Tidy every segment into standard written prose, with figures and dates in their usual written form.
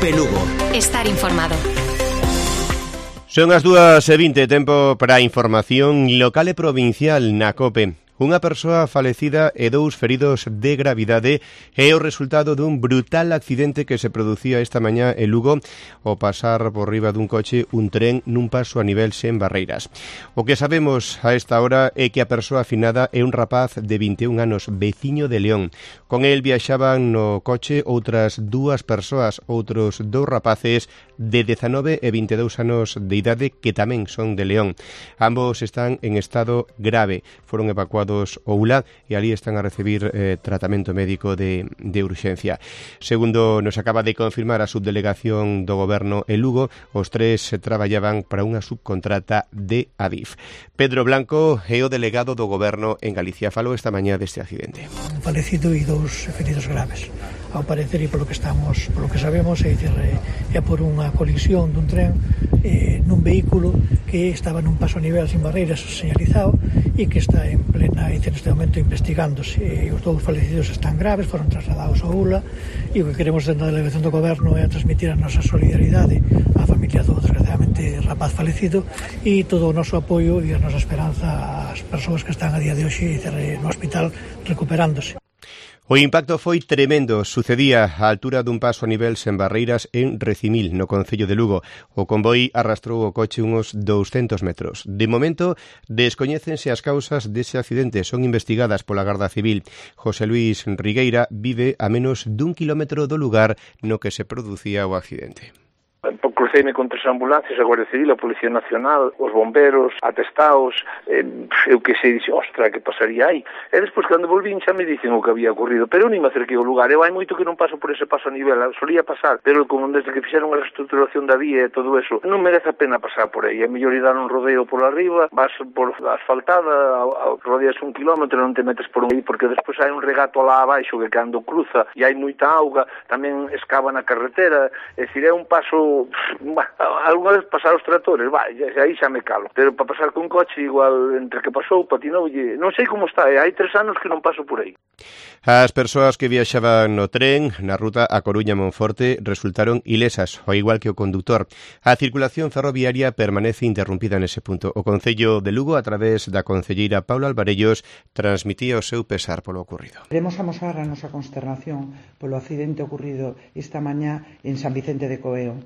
COPE Lugo. Estar informado. Son as 2:20, tempo para a información local e provincial na COPE. Unha persoa falecida e 2 feridos de gravidade é o resultado dun brutal accidente que se producía esta mañá en Lugo ao pasar por riba dun coche un tren nun paso a nivel sen barreiras. O que sabemos a esta hora é que a persoa afinada é un rapaz de 21 anos, veciño de León. Con el viaxaban no coche outras 2 persoas, outros 2 rapaces de 19 e 22 anos de idade que tamén son de León. Ambos están en estado grave, foron evacuados ao ULA e ali están a recibir tratamento médico de urxencia. Segundo nos acaba de confirmar a subdelegación do Goberno en Lugo, os 3 traballaban para unha subcontrata de Adif. Pedro Blanco é o delegado do Goberno en Galicia. Falou esta mañá deste accidente. Un falecido e 2 feridos graves. Ao parecer e polo que sabemos, é por unha colisión dun tren nun vehículo que estaba nun paso a nivel sin barreiras señalizado e que está en plena neste momento investigándose. Os 2 falecidos están graves, foron trasladados ao ULA e o que queremos dentro da delegación do Goberno é transmitir a nosa solidaridade á familia do desgraciadamente rapaz falecido e todo o noso apoio e a nosa esperanza ás persoas que están a día de hoxe no hospital recuperándose. O impacto foi tremendo, sucedía á altura dun paso a nivel sen barreiras en Recimil, no concello de Lugo. O convoi arrastrou o coche uns 200 metros. De momento, descoñécense as causas dese accidente, son investigadas pola Garda Civil. José Luis Rigueira vive a menos dun kilómetro do lugar no que se producía o accidente. Cruceime con 3 ambulancias, a Guardia Civil, a Policía Nacional, os bomberos, atestados, eu que sei, dixe, ostra, que pasaría aí? E despois, cando volvín, xa me dicen o que había ocurrido, pero eu nem me acerquei ao lugar, eu hai moito que non paso por ese paso a nivel, solía pasar, pero como desde que fixeron a reestruturación da vía e todo eso, non merece a pena pasar por aí, é mellor ir dar un rodeio por arriba, vas por asfaltada, rodeas 1 kilómetro, non te metes por aí, porque despois hai un regato lá abaixo que cando cruza e hai moita auga, tamén escava na carretera, é dicir, é un paso... Alguna vez pasar os tratores, aí xa me calo, pero para pasar con coche igual entre que pasou, patinoulle, non sei como está, hai 3 anos que non paso por aí. As persoas que viaxaban no tren na ruta a Coruña-Monforte resultaron ilesas, ao igual que o condutor. A circulación ferroviaria permanece interrumpida nese punto. O Concello de Lugo, a través da concelleira Paula Alvarellos, transmitía o seu pesar polo ocurrido. Queremos amosar a nosa consternación polo accidente ocurrido esta mañá en San Vicente de Coeo.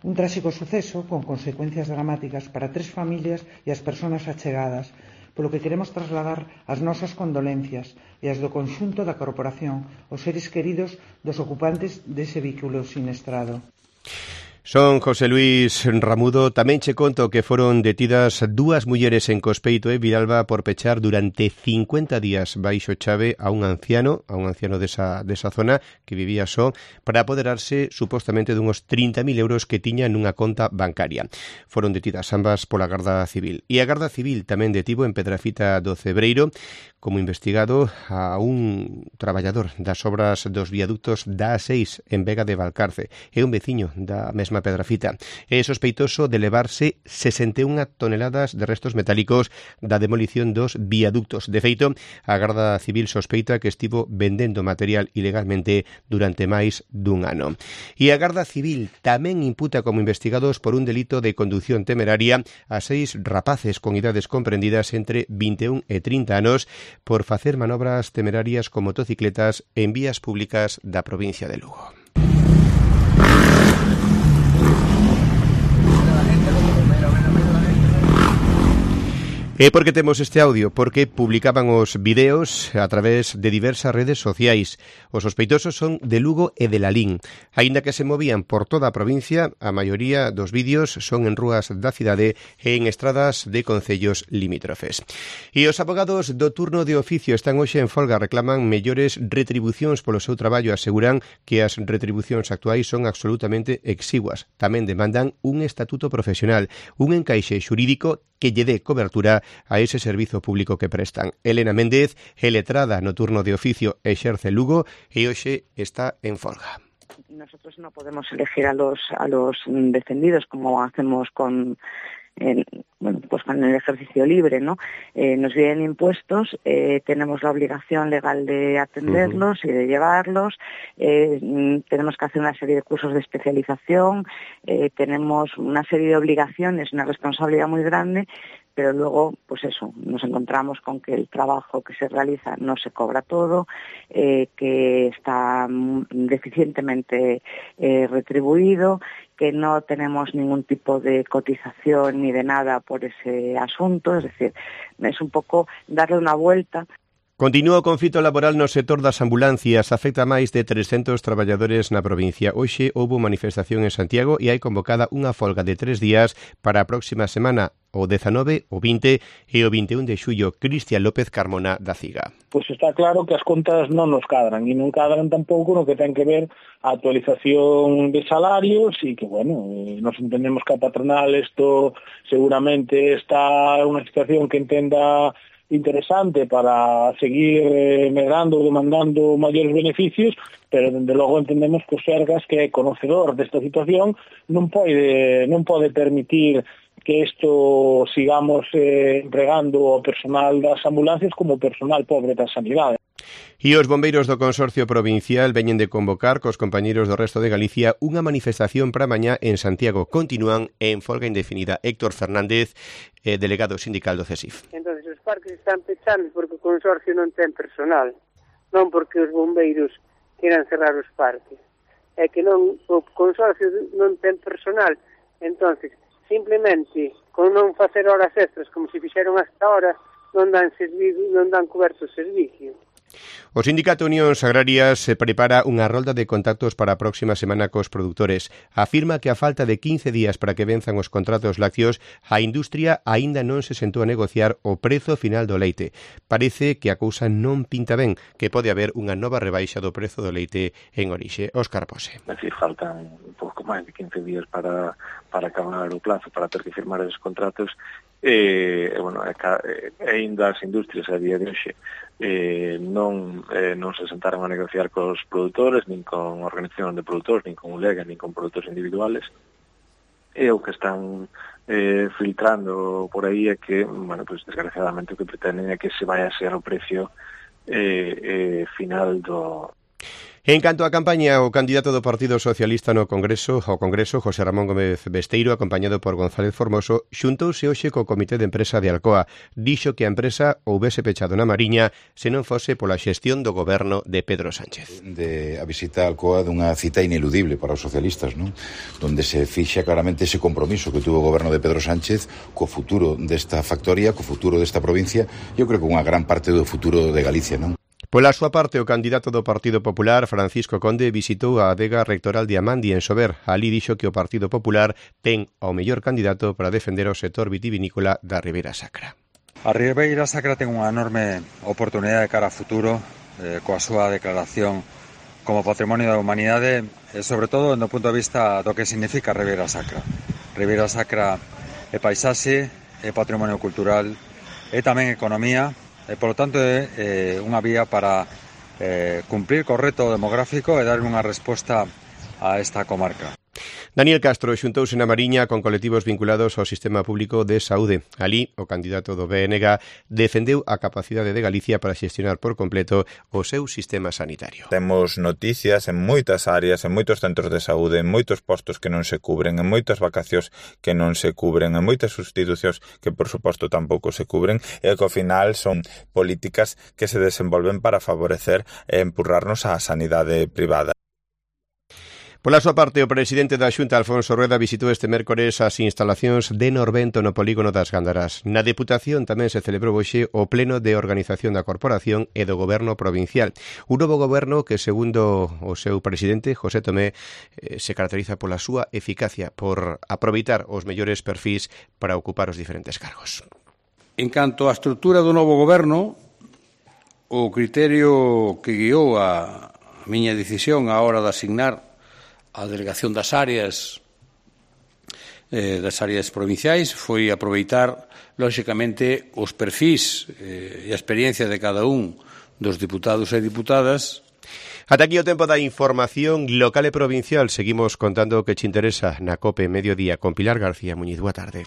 Un tráxico suceso con consecuencias dramáticas para 3 familias e as persoas achegadas, polo que queremos trasladar as nosas condolencias e as do conxunto da corporación aos seres queridos dos ocupantes dese vehículo siniestrado. Son José Luis Ramudo. Tamén che conto que foron detidas 2 mulleres en Cospeito e Viralba por pechar durante 50 días baixo chave a un anciano desa zona que vivía só para apoderarse supostamente dunhos 30.000 euros que tiña nunha conta bancaria. Foron detidas ambas pola Garda Civil. E a Garda Civil tamén detivo en Pedrafita do Cebreiro como investigado a un traballador das obras dos viaductos da A6 en Vega de Valcarce. É un veciño da mesma Pedrafita. É sospeitoso de levarse 61 toneladas de restos metálicos da demolición dos viaductos. De feito, a Garda Civil sospeita que estivo vendendo material ilegalmente durante máis dun ano. E a Garda Civil tamén imputa como investigados por un delito de condución temeraria a 6 rapaces con idades comprendidas entre 21 e 30 anos por facer manobras temerarias con motocicletas en vías públicas da provincia de Lugo. E por que temos este audio? Porque publicaban os videos a través de diversas redes sociais. Os sospeitosos son de Lugo e de Lalín. Aínda que se movían por toda a provincia, a maioría dos vídeos son en rúas da cidade e en estradas de concellos limítrofes. E os abogados do turno de oficio están hoxe en folga, reclaman mellores retribucións polo seu traballo, aseguran que as retribucións actuais son absolutamente exiguas. Tamén demandan un estatuto profesional, un encaixe xurídico que lle dé cobertura a ese servizo público que prestan. Elena Méndez é letrada no turno de oficio exerce Lugo e hoxe está en folga. Nosotros no podemos elegir a los defendidos como hacemos con pues con el ejercicio libre, ¿no? Nos vienen impuestos, tenemos la obligación legal de atenderlos y de llevarlos, tenemos que hacer una serie de cursos de especialización, tenemos una serie de obligaciones, una responsabilidad muy grande, pero luego, pues eso, nos encontramos con que el trabajo que se realiza no se cobra todo, que está deficientemente retribuido, que no tenemos ningún tipo de cotización ni de nada por ese asunto, es decir, es un pouco darle unha vuelta. Continúa o conflito laboral no sector das ambulancias, afecta máis de 300 traballadores na provincia. Hoxe houbo manifestación en Santiago e hai convocada unha folga de 3 días para a próxima semana, o 19, o 20 e o 21 de xullo. Cristian López Carmona da CIGA. Pois está claro que as contas non nos cadran e non cadran tampouco no que ten que ver a actualización de salarios e que, bueno, nos entendemos que a patronal isto seguramente está unha situación que entenda interesante para seguir medrando ou demandando maiores beneficios, pero dende logo entendemos que o Sergas, que é conocedor desta situación, non pode permitir que isto sigamos empregando o personal das ambulancias como personal pobre da sanidade. E os bombeiros do Consorcio Provincial veñen de convocar cos compañeiros do resto de Galicia unha manifestación para mañá en Santiago. Continúan en folga indefinida. Héctor Fernández, delegado sindical do CESIF. Entonces os parques están pechados porque o Consorcio non ten personal, non porque os bombeiros queran cerrar os parques. É que non, o Consorcio non ten personal, entonces simplemente con non facer horas extras como se fixeron hasta ahora non dan coberto o servicio. O Sindicato Unións Agrarias prepara unha rolda de contactos para a próxima semana cos produtores. Afirma que a falta de 15 días para que venzan os contratos lácteos, a industria aínda non se sentou a negociar o prezo final do leite. Parece que a cousa non pinta ben, que pode haber unha nova rebaixa do prezo do leite en orixe. Óscar Pose. É dicir, faltan un pouco máis de 15 días para acabar o plazo, para ter que firmar esos contratos. Bueno, ainda as industrias a día de hoxe non se sentaron a negociar cos produtores, nin con organización de produtores, nin con ULEGA, nin con produtores individuales, e o que están filtrando por aí é que, bueno, pues desgraciadamente o que pretenden é que se vai a ser o precio final do... En canto á campaña, o candidato do Partido Socialista ao Congreso, José Ramón Gómez Besteiro, acompañado por González Formoso, xuntouse hoxe co Comité de Empresa de Alcoa. Dixo que a empresa houbese pechado na Mariña se non fose pola xestión do goberno de Pedro Sánchez. A visita a Alcoa dunha cita ineludible para os socialistas, non? Donde se fixa claramente ese compromiso que tuvo o goberno de Pedro Sánchez co futuro desta factoría, co futuro desta provincia, eu creo que unha gran parte do futuro de Galicia, non? Pola súa parte, o candidato do Partido Popular, Francisco Conde, visitou a adega rectoral de Amandi en Sober. Alí dixo que o Partido Popular ten o mellor candidato para defender o sector vitivinícola da Ribeira Sacra. A Ribeira Sacra ten unha enorme oportunidade de cara a futuro, coa súa declaración como Patrimonio da Humanidade, e sobre todo do punto de vista do que significa Ribeira Sacra. Ribeira Sacra é paisaxe, é patrimonio cultural, é tamén economía, e, polo tanto, é unha vía para cumprir co reto demográfico e dar unha resposta a esta comarca. Daniel Castro xuntouse na Mariña con colectivos vinculados ao sistema público de saúde. Alí, o candidato do BNG defendeu a capacidade de Galicia para xestionar por completo o seu sistema sanitario. Temos noticias en moitas áreas, en moitos centros de saúde, en moitos postos que non se cubren, en moitas vacacións que non se cubren, en moitas sustitucións que, por suposto, tampouco se cubren, e que ao final son políticas que se desenvolven para favorecer e empurrarnos á sanidade privada. Pola súa parte, o presidente da Xunta, Alfonso Rueda, visitou este mércores as instalacións de Norvento no polígono das Gándaras. Na Deputación tamén se celebrou hoxe o pleno de organización da Corporación e do Goberno Provincial. Un novo goberno que, segundo o seu presidente, José Tomé, se caracteriza pola súa eficacia, por aproveitar os mellores perfís para ocupar os diferentes cargos. En canto á estrutura do novo goberno, o criterio que guiou a miña decisión á hora de asignar a delegación das áreas provinciais foi aproveitar, lóxicamente, os perfís e a experiencia de cada un dos diputados e diputadas. Ata aquí o tempo da información local e provincial. Seguimos contando o que te interesa na COPE Mediodía con Pilar García Muñiz. Boa tarde.